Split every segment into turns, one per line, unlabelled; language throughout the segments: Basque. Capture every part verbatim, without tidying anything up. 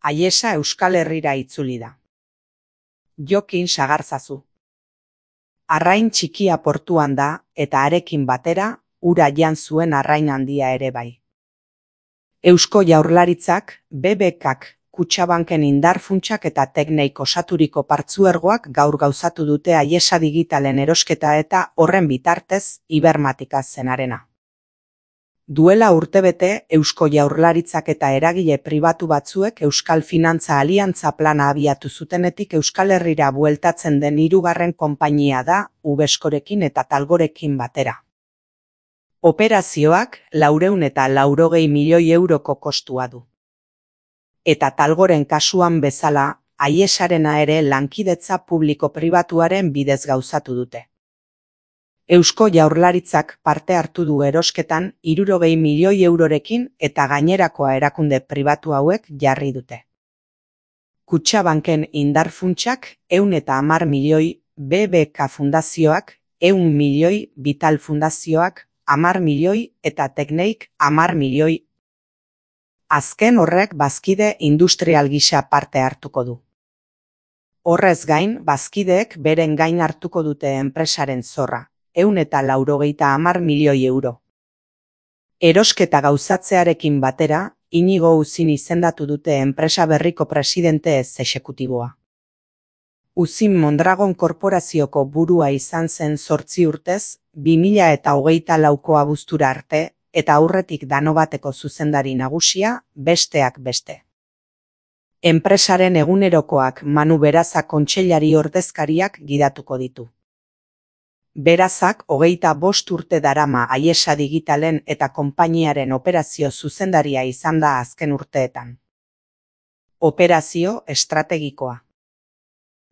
Aiesa Euskal Herrira itzuli da. Jokin sagarzazu. Arrain txikia portuan da eta harekin batera ura jan zuen arrain handia ere bai. Eusko Jaurlaritzak, B B Kak, Kutxabanken indar funtsak eta tekneik osaturiko partzuergoak gaur gauzatu dute Aiesa Digitalen erosketa eta horren bitartez Ibermatika zenarena. Duela urtebete Eusko Jaurlaritzak eta eragile pribatu batzuek Euskal Finantza Aliantza plana abiatu zutenetik Euskal Herrira bueltatzen den hirugarren konpainia da Ubeskorekin eta Talgorekin batera. Operazioak laurehun eta laurogei milioi euroko kostua du. Eta Talgoren kasuan bezala, Aiesarena ere lankidetza publiko-pribatuaren bidez gauzatu dute. Eusko Jaurlaritzak parte hartu du erosketan hirurogei milioi eurorekin eta gainerakoa erakunde pribatu hauek jarri dute. Kutxabanken indar funtsak ehun eta hamar milioi, B B K fundazioak ehun milioi, Vital fundazioak hamar milioi eta Tekneik hamar milioi. Azken horrek bazkide industrial gisa parte hartuko du. Horrez gain, bazkideek beren gain hartuko dute enpresaren zorra, ehun eta laurogeita hamar milioi euro. Erosketa gauzatzearekin batera, Inigo Uzin izendatu dute enpresa berriko presidente ez exekutiboa. Uzin Mondragon korporazioko burua izan zen zortzi urtez, bi mila eta hogeita lauko abuztura arte, eta aurretik Danobateko zuzendari nagusia, besteak beste. Enpresaren egunerokoak Manu Beraza kontseilari ordezkariak gidatuko ditu. Berazak hogeita bost urte darama Aiesa Digitalen eta konpainiaren operazio zuzendaria izan da azken urteetan. Operazio estrategikoa.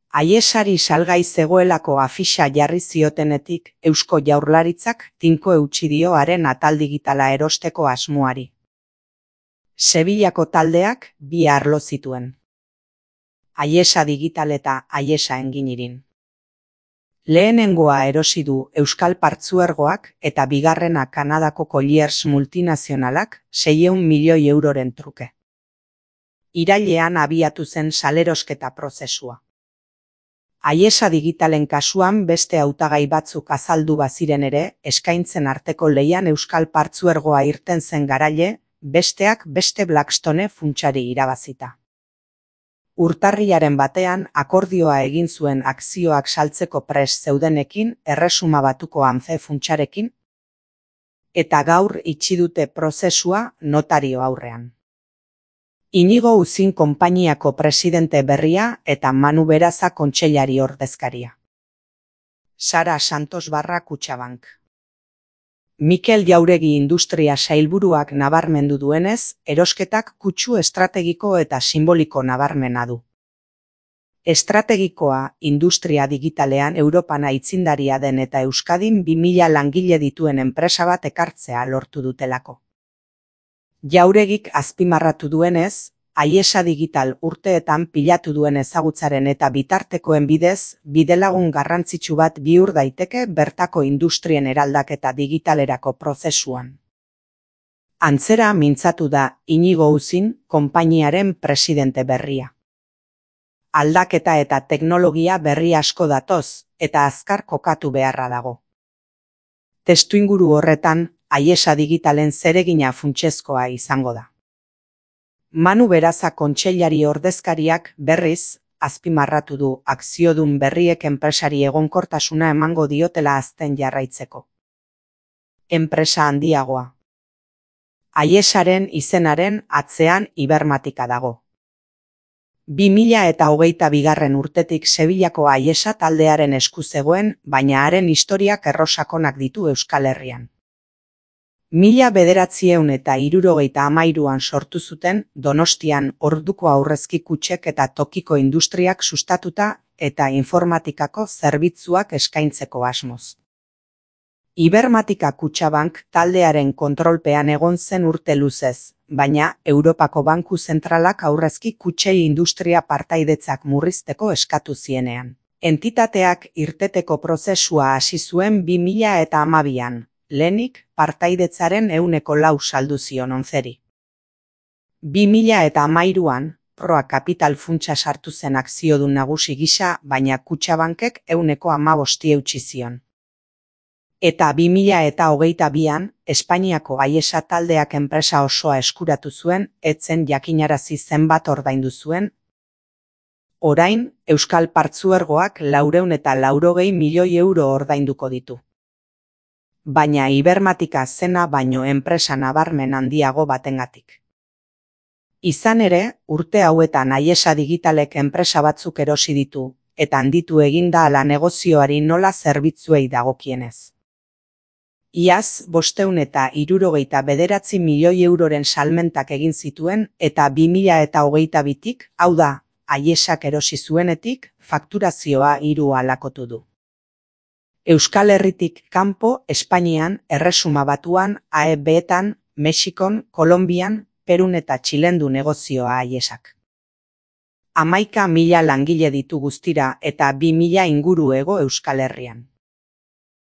Aiesari salgai zegoelako afixa jarri ziotenetik Eusko Jaurlaritzak tinko eutsi dio haren atal digitala erosteko asmoari. Sevillako taldeak bi arlo zituen. Aiesa Digital eta Aiesa Enginirin. Lehenengoa erosi du Euskal Partzuergoak eta bigarrena Kanadako Colliers multinazionalak seiehun milioi euroren truke. Irailean abiatu zen salerosketa prozesua. Aiesa Digitalen kasuan beste hautagai batzuk azaldu baziren ere, eskaintzen arteko leian Euskal Partzuergoa irten zen garaile, besteak beste Blackstone funtsari irabazita. Urtarrilaren batean akordioa egin zuen akzioak saltzeko prest zeudenekin Erresuma Batuko Amce funtsarekin, eta gaur itxi dute prozesua notario aurrean. Inigo Uzin konpainiako presidente berria eta Manu Beraza kontseilari ordezkaria. Sara Santos barra Kutxabank. Mikel Jauregi industria sailburuak nabarmendu duenez, erosketak kutsu estrategiko eta simboliko nabarmena du. Estrategikoa industria digitalean Europan aitzindaria den eta Euskadin bi mila langile dituen enpresa bat ekartzea lortu dutelako. Jauregik azpimarratu duenez, Aiesa Digital urteetan pilatu duen ezagutzaren eta bitartekoen bidez, bidelagun garrantzitsu bat bihur daiteke bertako industrien eraldaketa digitalerako prozesuan. Antzera mintzatu da Inigo Uzin konpainiaren presidente berria. Aldaketa eta teknologia berri asko datoz, eta azkar kokatu beharra dago. Testuinguru horretan, Aiesa Digitalen zeregina funtsezkoa izango da. Manu Beraza kontseilari ordezkariak berriz, azpimarratu du akziodun berriek enpresari egonkortasuna emango diotela azten jarraitzeko. Enpresa handiagoa. Aiesaren izenaren atzean Ibermatika dago. bi mila eta hogeita bigarren urtetik Sevillako Aiesa taldearen esku zegoen, baina haren historiak errosakonak ditu Euskal Herrian. Mila bederatziehun eta hirurogeita hamairuan sortu zuten Donostian orduko aurrezki kutxek eta tokiko industriak sustatuta eta informatikako zerbitzuak eskaintzeko asmoz. Ibermatika Kutxabank taldearen kontrolpean egon zen urte luzez, baina Europako Banku Zentralak aurrezki kutxei industria partaidetzak murrizteko eskatu zienean. Entitateak irteteko prozesua hasi zuen bi mila eta hamabian. Lehenik partaidetzaren ehuneko lau saldu zion onzeri. bi mila eta hamairuan Proa Kapital funtsa sartu zen akziodun nagusi gisa, baina Kutxabankek ehuneko hamabosti eutsi zion. Eta bi mila eta hogeita bian, Espainiako Aiesa taldeak enpresa osoa eskuratu zuen, etzen jakinarazi zenbat ordaindu zuen. Orain, Euskal Partzuergoak laurehun eta laurogei milioi euro ordainduko ditu. Baina Ibermatika zena baino enpresa nabarmen handiago batengatik. Izan ere, urte hauetan Aiesa Digitalek enpresa batzuk erosi ditu, eta handitu eginda ala negozioari nola zerbitzuei dagokienez. Iaz, bostehun eta hirurogeita bederatzi milioi euroren salmentak egin zituen eta bi mila eta hogeita bitik, hau da, Aiesak erosi zuenetik, fakturazioa hiru alakotu du. Euskal Herritik kanpo, Espainian, Erresuma Batuan, A E B-etan, Mexikon, Kolonbian, Perun eta Txilen du negozioa Aiesak. Hamaika mila langile ditu guztira eta bi mila inguru hego Euskal Herrian.